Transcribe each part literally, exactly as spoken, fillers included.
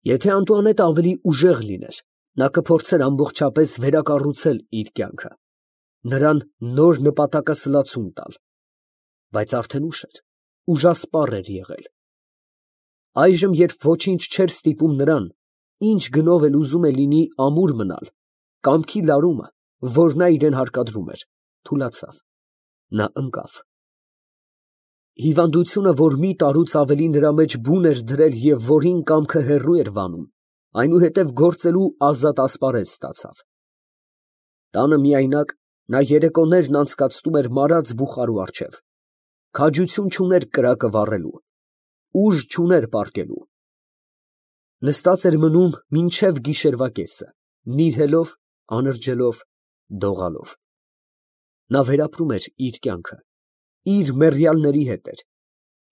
Եթե Անտուանետը ավելի ուժեղ լիներ, նա կփորձեր ամբողջապես վերակառուցել իր կյանքը, նրան նոր նպատակասլացում տալ, բայց արդեն ուշ էր, ուժասպառ էր եղել։ Այժմ, երբ ոչինչ չէր ստիպում նրան, ինչ գնով էլ ուզում է լինի ամուր մնալ, կամքի լարումը, որ նա իրան հարկադրում էր, թուլացավ, նա ընկավ։ Հիվանդությունը, որ մի տարուց ավելի նրա մեջ բուն էր դրել և որին կամքը հեռու էր վանում, այնուհետև գործելու ազատ ասպարեզ ստացավ։ Տանը միայնակ, նա երեկոներն անցկացնում էր մարած բուխարու առջև, քաջություն չուներ կրակը վառելու, ուժ չուներ պառկելու, նստած էր մնում մինչև գիշերվա կեսը, նիրհելով, անրջելով, դողալով։ Նա վերապրում էր իր կյանքը, իր մեռյալների հետ էր,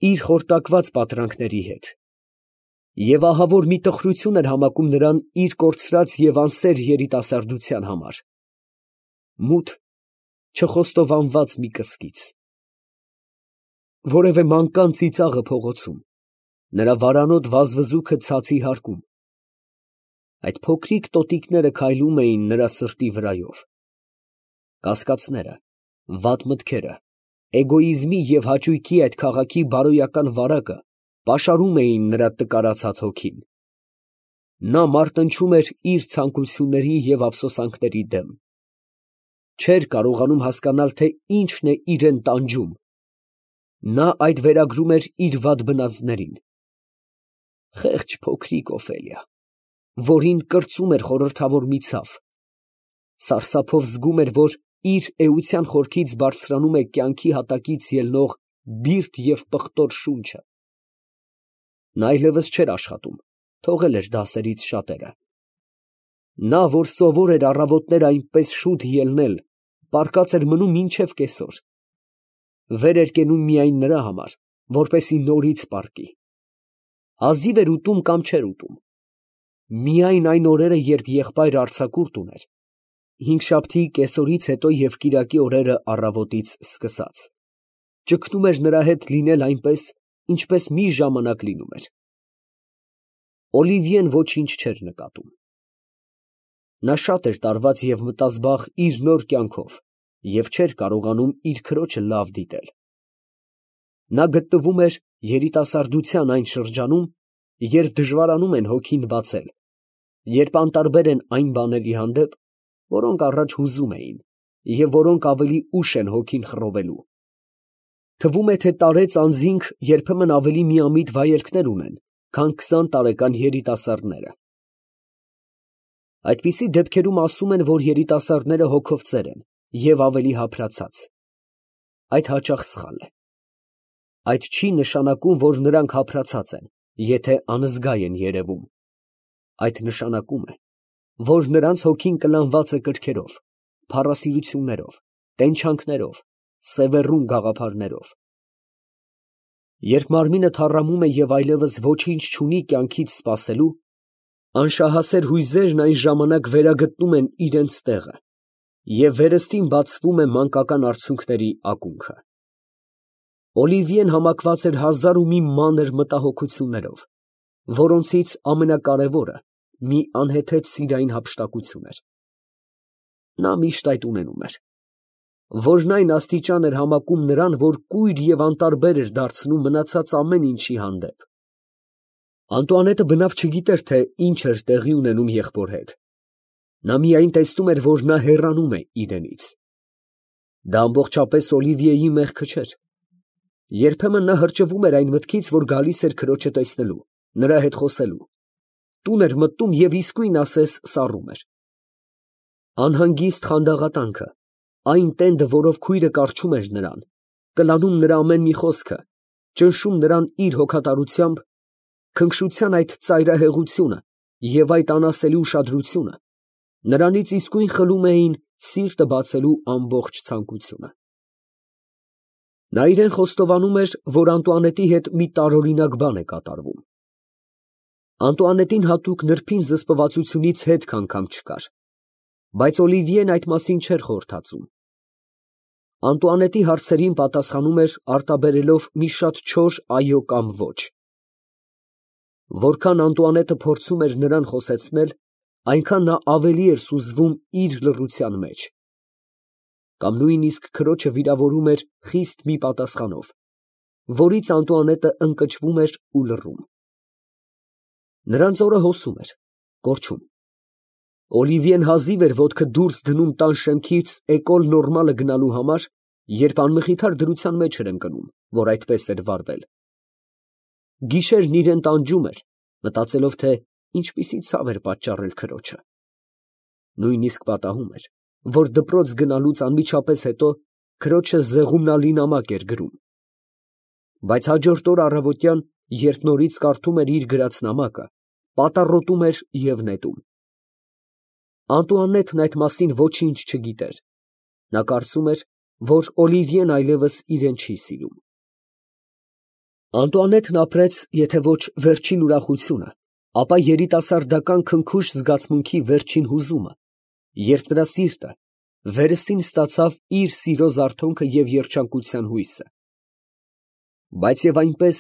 իր խորտակված պատրանքների հետ, և ահավոր մի տխրություն էր համակում նրան իր կորցրած և անսեր երիտասարդության համար, մութ, չխոստովանված մի կսկիծ։ Որևէ մանկան ծիծաղը փողոցում, նրա վարանոտ վազվզուքը ցածի հարկում, այդ փոքրիկ տոտիկները քայլում էին նրա սրտի վրայով, կասկածները, վատ մտքերը, էգոիզմի և հաճույքի այդ քաղաքի բարոյական վարակը պաշարում էին նրա տկարացած հոգին։ Նա մարտնչում էր իր ցանկությունների և ափսոսանքների դեմ, չէր կարողանում հասկանալ, թե ինչն է իրան տանջում, նա այդ վերագրում էր իր վատ բնածներին։ Խեղճ փոքրիկ Օֆելիա, որին կրծում էր խորհրդավոր մի ցավ, սարսափով զգում էր, որ իր էության խորքից բարձրանում է կյանքի հատակից ելնող բիրտ և պղտոր շունչը։ Նա այլևս չէր աշխատում, թողել էր դասերից շատերը։ Նա, որ սովոր էր առավոտները այնպես շուտ ելնել, պառկած էր մնում մինչև կեսօր, վեր էր կենում միայն նրա համար, որպեսզի նորից պառկի, հազիվ էր ուտում կամ չէր ուտում, միայն այն օրերը, երբ եղբայրը արձակուրդ ուներ, հինգշաբթի կեսօրից հետո և կիրակի օրերը առավոտից սկսած, ճգնում էր նրա հետ լինել այնպես, ինչպես մի ժամանակ լինում էր։ Օլիվիեն ոչինչ չէր նկատում։ Նա շատ էր տարված և մտազբաղ իր նոր կյանքով և չէր կարողանում իր քրոջը լավ դիտել։ Նա գտնվում էր երիտասարդության այն շրջանում, երբ դժվարանում են հոգին բացել, երբ անտարբեր են այն բաների հանդեպ, որոնք առաջ հուզում էին և որոնք ավելի ուշ են հոգին խռովելու։ Թվում է, թե տարեց անձինք երբեմն ավելի միամիտ վայելքներ ունեն, քան քսան տարեկան երիտասարդները։ Այդպիսի դեպքերում ասում են, որ երիտասարդները հոգով ծեր են և ավելի հափրացած։ Այդ հաճախ սխալ է։ Այդ չի նշանակում, որ նրանք հափրացած են, եթե անզգա են երևում։ Այդ նշանակում է, որ նրանց հոգին կլանված է կրքերով, փառասիրություններով, տենչանքներով, սևեռուն գաղափարներով։ Երբ մարմինը թառամում է և այլևս ոչինչ չունի կյանքից սպասելու, անշահասեր հույզերն այն ժամանակ վերագտնում են իրանց տեղը, և վերստին բացվում է մանկական արցունքների ակունքը։ Օլիվիեն համակված էր հազար ու մի մանր մտահոգություններով, որոնցից ամենակարևորը մի անհեթեթ սիրային հափշտակություն էր։ Նա միշտ այդ ունենում էր, որն այն աստիճան էր համակում նրան, որ կույր և անտարբեր էր դարձնում մնացած ամեն ինչի հանդեպ։ Անտուանետը բնավ չգիտեր, թե ինչ էր տեղի ունենում եղբոր հետ. նա միայն տեսնում էր, որ նա հեռանում է իրենից։ Դա ամբողջապես Օլիվիեի մեղքը չէր։ Երբեմն նա հրճվում էր այն մտքից, որ գալիս էր քրոջը տեսնելու, նրա հետ խոսելու, տուն էր մտնում և իսկույն ասես սառում էր։ Անհանգիստ խանդաղատանքը, այն տենդը, որով քույրը կառչում էր նրան, կլանում նրա ամեն մի խոսքը, ճնշում նրան իր հոգատարությամբ, քնքշության այդ ծայրահեղությունը և այդ անասելի ուշադրությունը նրանից իսկույն խլում էին սիրտը բացելու ամբողջ ցանկությունը։ Նա իրան խոստովանում էր, որ Անտուանետի հետ մի տարօրինակ բան է կատարվում։ Անտուանետին հատուկ նրբին զսպվածությունից հետք անգամ չկար, բայց Օլիվիեն այդ մասին չէր խորհրդածում։ Անտուանետի հարցերին պատասխանում էր արտաբերելով մի շատ չոր այո կամ ոչ։ Որքան Անտուանետը փորձում էր նրան խոսեցնել, այնքան նա ավելի էր սուզվում իր լռության մեջ, կամ նույնիսկ քրոջը վիրավորում էր խիստ մի պատասխանով, որից Անտուանետը ընկճվում էր ու լռում։ Նրան ծորը հոսում էր, կորչում։ Օլիվիեն հազիվ էր ոտքը դուրս դնում տան շեմքից էկոլ նորմալը գնալու համար, երբ անմխիթար դրության մեջ էր ընկնում, որ այդպես էր վարվել։ Գիշերն իրան տանջում էր, մտածելով, թե ինչպիսի ցավ էր պատճառել քրոջը։ Նույնիսկ պատահում էր, որ դպրոց գնալուց անմիջապես հետո քրոջը զեղումնալի նամակ էր գրում։ Բայց հաջորդ օր առավոտյան, երբ նորից կարդում էր իր գրած նամակը, պատառոտում էր և նետում։ Անտուանետն այդ մասին ոչինչ չգիտեր։ Նա կարծում էր, որ Օլիվիեն այլևս իրեն չի սիրում։ Անտուանետն ապրեց, եթե ոչ վերջին ուրախությունը, ապա երիտասարդական քնքուշ զգացմունքի վերջին հուզումը, երբ նրա սիրտը վերստին ստացավ իր սիրո զարթոնքը և երջանկության հույսը։ Բայց և այնպես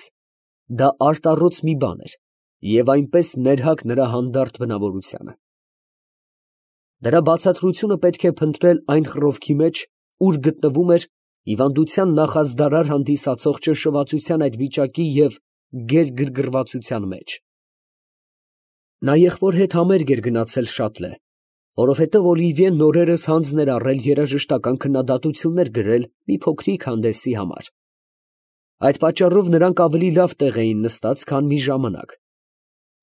դա արտառոց մի բան էր, և այնպես ներհակ նրա հանդարտ բնավորությանը։ Դրա բացատրությունը պետք է փնտրել այն խռովքի մեջ, ուր գտնվում էր հիվանդության նախազդարար հանդիսացող ճնշվածության այդ վիճակի և գերգրգռվածության մեջ։ Նա եղբոր հետ համերգ էր գնացել Շատլե, որովհետև Օլիվիեն նորերս հանձն էր առել երաժշտական քննադատություններ գրել մի փոքրիկ հանդեսի համար։ Այդ պատճառով նրանք ավելի լավ տեղ էին նստած, քան մի ժամանակ,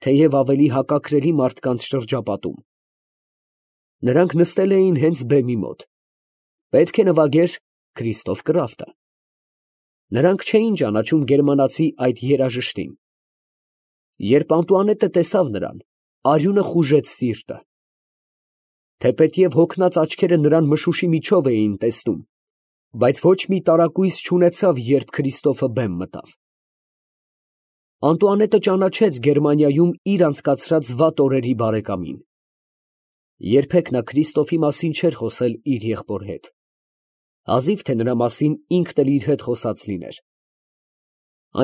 թեև ավելի հակաքրելի մարդկանց շրջապատում։ Նրանք նստել էին հենց բեմի մոտ։ Պետք է նվագեր Քրիստոֆ Կրաֆտը։ Նրանք չէին ճանաչում գերմանացի այդ երաժշտին։ Երբ Անտուանետը տեսավ նրան, արյունը խուժեց սիրտը։ Թեպետև հոգնած աչքերը նրան մշուշի միջով էին տեսնում, բայց ոչ մի տարակույս չունեցավ, երբ Քրիստոֆը բեմ մտավ։ Անտուանետը ճանաչեց Գերմանիայում իր անցկացրած վատ օրերի բարեկամին։ Երբեք նա Քրիստոֆի մասին չէր խոսել իր եղբոր հետ։ Հազիվ թե նրա մասին ինքն էլ իր հետ խոսած լիներ։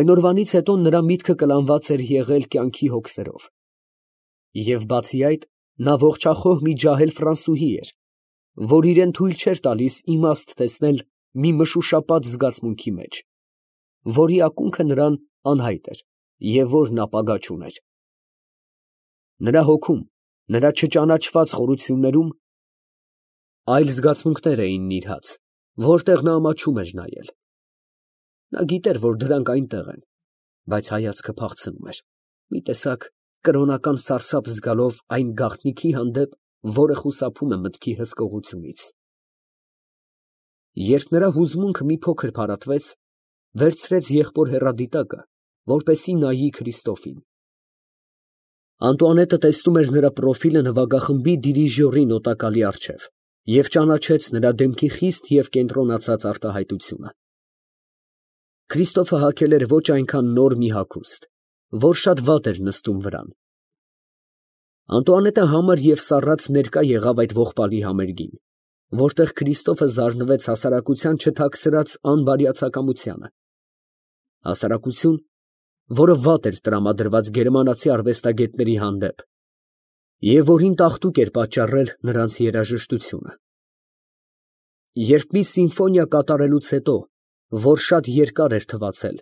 Այն օրվանից հետո նրա միտքը կլանված էր եղել կյանքի հոգսերով։ Եվ բացի այդ, նա ողջախոհ մի ջահել ֆրանսուհի էր, որ իրեն թույլ չէր տալիս իմաստ տեսնել մի մշուշապատ զգացմունքի մեջ, որի ակունքը նրան անհայտ էր և որն ապագա չուներ։ Նրա հոգում, նրա չճանաչված խորություններում այլ զգացմունքներ էին նիրհած, որտեղ նա ամաչում էր նայել։ Նա գիտեր, որ դրանք այնտեղ են, բայց հայացքը փախցնում էր, մի տեսակ կրոնական սարսափ զգալով այն գաղտնիքի հանդեպ, որը խուսափում է մտքի հսկողությունից։ Երբ նրա հուզմունքը մի փոքր փարատվեց, վերցրեց եղբոր հեռադիտակը, որպեսզի նայի Քրիստոֆին։ Անտուանետը տեսնում էր նրա պրոֆիլը նվագախմբի դիրիժյորի նոտակալի առջև և ճանաչեց նրա դեմքի խիստ և կենտրոնացած արտահայտությունը։ Քրիստոֆը հագել էր ոչ այնքան նոր մի հագուստ, որ շատ վատ էր նստում վրան։ Անտուանետը համր և սառած ներկա եղավ այդ ողբալի համերգին, որտեղ Քրիստոֆը զարնվեց հասարակության չթաքցրած անբարյացակամությանը։ Հասարակություն, որը վատ էր տրամադրված գերմանացի արվեստագետների հանդեպ, և որին տաղտուկ էր պատճառել նրանց երաժշտությունը։ Երբ մի սիմֆոնիա կատարելուց հետո, որ շատ երկար էր թվացել,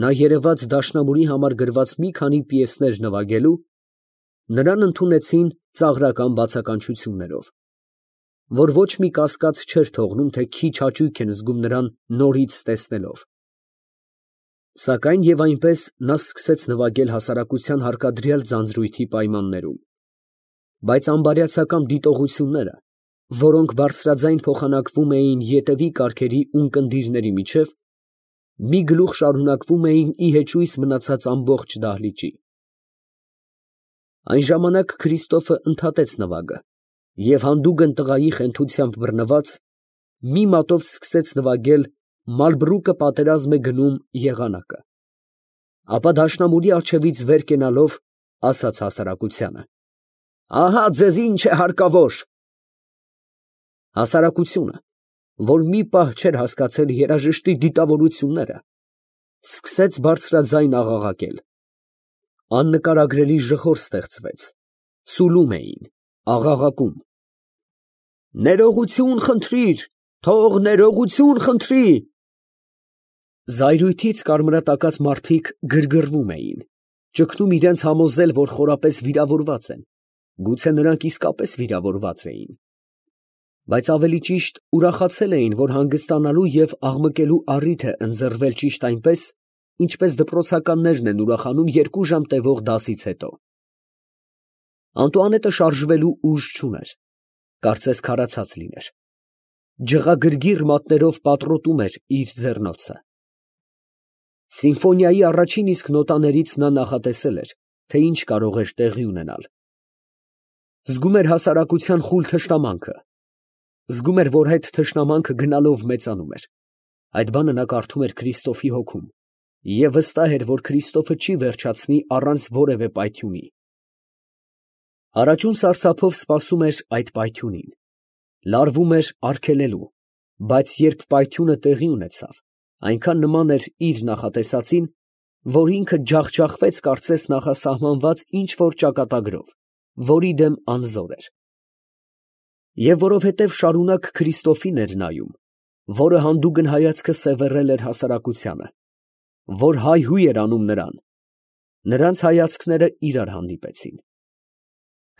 նա երևաց դաշնամուրի համար գրված մի քանի պիեսներ նվագելու, նրան ընդունեցին ծաղրական բացականչություններով, որ ոչ մի կասկած չէր թողնում, թե քիչ հաճույք են զգում նրան նորից տեսնելով։ Սակայն և այնպես նա սկսեց նվագել հասարակության հարկադրյալ ձանձրույթի պայմաններում։ Բայց անբարյացակամ դիտողությունները, որոնք բարձրաձայն փոխանակվում էին ետևի կարգերի ունկնդիրների միջև, մի գլուխ շարունակվում էին ի հեճույս մնացած ամբողջ դահլիճի։ Այն ժամանակ Քրիստոֆը ընդհատեց նվագը և հանդուգն տղայի խենթությամբ բռնված, մի մատով սկսեց նվագել «Մալբրուկը պատերազմ է գնում» եղանակը, ապա դաշնամուրի առջևից վեր կենալով, ասաց հասարակությանը. «Ահա ձեզ ինչ է հարկավոր»։ Հասարակությունը, որ մի պահ չէր հասկացել երաժշտի դիտավորությունները, սկսեց բարձրաձայն աղաղակել։ Աննկարագրելի ժխոր ստեղծվեց, սուլում էին, աղաղակում. «Ներողություն խնդրիր, թող ներողություն խնդրի»։ Զայրույթից կարմրատակած մարդիկ գրգռվում էին, ճգնում իրենց համոզել, որ խորապես վիրավորված են, գուցե նրանք իսկապես վիրավորված էին, բայց ավելի ճիշտ ուրախացել էին, որ հանգստանալու և աղմկելու առիթ է ընձեռվել ճիշտ այնպես, ինչպես դպրոցականներն են ուրախանում երկու ժամ տևող դասից հետո։ Անտուանետը շարժվելու ուժ չուներ, կարծես քարացած լիներ, ջղագրգիռ մատներով պատռոտում էր իր ձեռնոցը։ Սիմֆոնիայի առաջին իսկ նոտաներից նա նախատեսել էր, թե ինչ կարող էր տեղի ունենալ։ Զգում էր հասարակության խուլ թշնամանքը, զգում էր, որ այդ թշնամանքը գնալով մեծանում էր, այդ բանը նա կարդում էր Քրիստոֆի հոգում և վստահ էր, որ Քրիստոֆը չի վերջացնի առանց որևէ պայթյունի։ Առաջուն սարսափով սպասում էր այդ պայթյունին, լարվում էր արգելելու, բայց երբ պայթյունը տեղի ունեցավ, այնքան նման էր իր նախատեսածին, որ ինքը ջախջախվեց կարծես նախասահմանված ինչ֊որ ճակատագրով, որի դեմ անզոր էր։ Եվ որովհետև շարունակ Քրիստոֆին էր նայում, որը հանդուգն հայացքը սևեռել էր հասարակությանը, որ հայհույհ էր անում նրան, նրանց հայացքները իրար հանդիպեցին։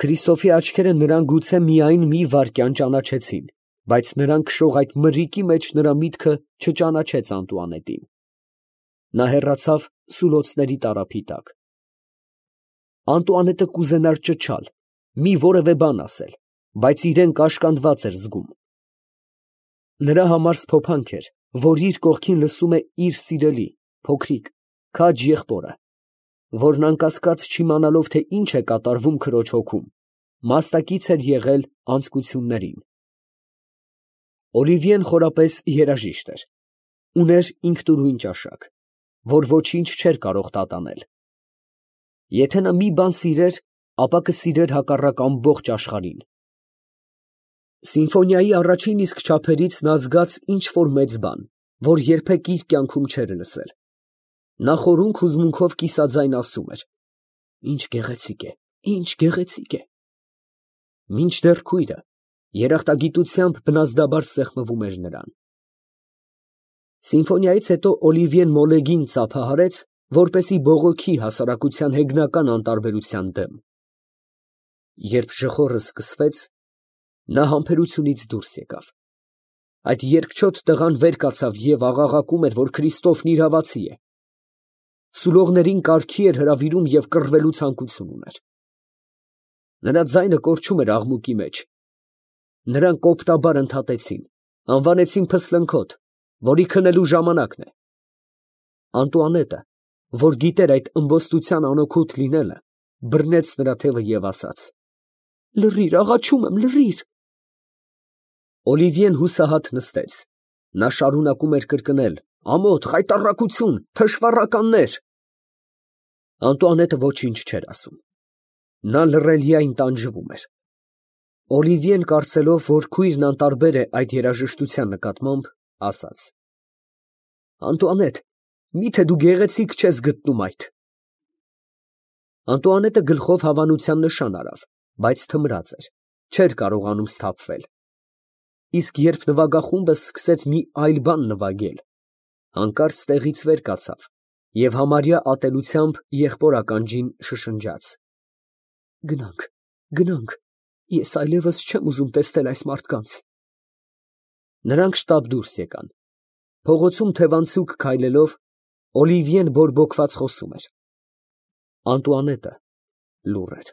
Քրիստոֆի աչքերը նրան գուցե միայն մի վայրկյան ճանաչեցին, բայց նրան քշող այդ մրրիկի մեջ նրա միտքը չճանաչեց Անտուանետին։ Նա հեռացավ սուլոցների տարափի տակ։ Անտուանետը կուզենար ճչալ, մի որևէ բան ասել, բայց իրան կաշկանդված էր զգում։ Նրա համար սփոփանք էր, որ իր կողքին լսում է իր սիրելի, փոքրիկ, քաջ եղբորը, որն անկասկած չիմանալով, թե ինչ է կատարվում քրոջ հոգում, մասնակից էր եղել անձկություններին։ Օլիվիեն խորապես երաժիշտ էր, ուներ ինքնուրույն ճաշակ, որ ոչինչ չէր կարող տատանել։ Եթե նա մի բան սիրեր, ապա կսիրեր հակառակ ամբողջ աշխարհին։ Սիմֆոնիայի առաջին իսկ չափերից նա զգաց ինչ֊որ մեծ բան, որ երբեք իր կյանքում չէր լսել։ Նա խորհունք հուզմունքով կիսաձայն ասում էր. «Ինչ գեղեցիկ է, ինչ գեղեցիկ է»։ Մինչդեռ քույրը երախտագիտությամբ բնազդաբար սեղմվում էր նրան։ Սիմֆոնիայից հետո Օլիվիեն մոլեգին ծափահարեց, որպեսզի բողոքի հասարակության հեգնական անտարբերության դեմ։ Երբ ժխորը սկսվեց, նա համբերությունից դուրս եկավ։ Այդ երկչոտ տղան վեր կացավ և աղաղակում էր, որ Քրիստոֆն իրավացի է։ Սուլողներին կարգի էր հրավիրում և կռվելու ցանկություն ուներ։ Նրա ձայնը կորչում էր աղմուկի մեջ։ Նրան կոպտաբար ընդհատեցին, անվանեցին փսլնքոթ, որի քնելու ժամանակն է։ Անտուանետը, որ գիտեր այդ ըմբոստության անօգուտ լինելը, բռնեց նրա թևը և ասաց. «Լռիր, աղաչում եմ, լռիր»։ Օլիվիեն հուսահատ նստեց։ Նա շարունակում էր կրկնել. «Ամոթ, խայտառակություն, թշվառականներ»։ Անտուանետը ոչինչ չէր ասում։ Նա լռելիայն տանջվում էր։ Օլիվիեն, կարծելով, որ քույրն անտարբեր է այդ երաժշտության նկատմամբ, ասաց. «Անտուանետ, մի՞թե դու գեղեցիկ չես գտնում այդ»։ Անտուանետը գլխով հավանության նշան արավ, բայց թմրած էր, չէր կարողանում սթափվել։ Իսկ երբ նվագախումբը սկսեց մի այլ բան նվագել, հանկարծ տեղից վեր կացավ և համարյա ատելությամբ եղբոր ականջին շշնջաց. «Գնանք, գնանք, ես այլևս չեմ ուզում տեսնել այս մարդկանց»։ Նրանք շտապ դուրս եկան։ Փողոցում թևանցուկ քայլելով, Օլիվիեն բորբոքված խոսում էր։ Անտուանետը լուռ էր։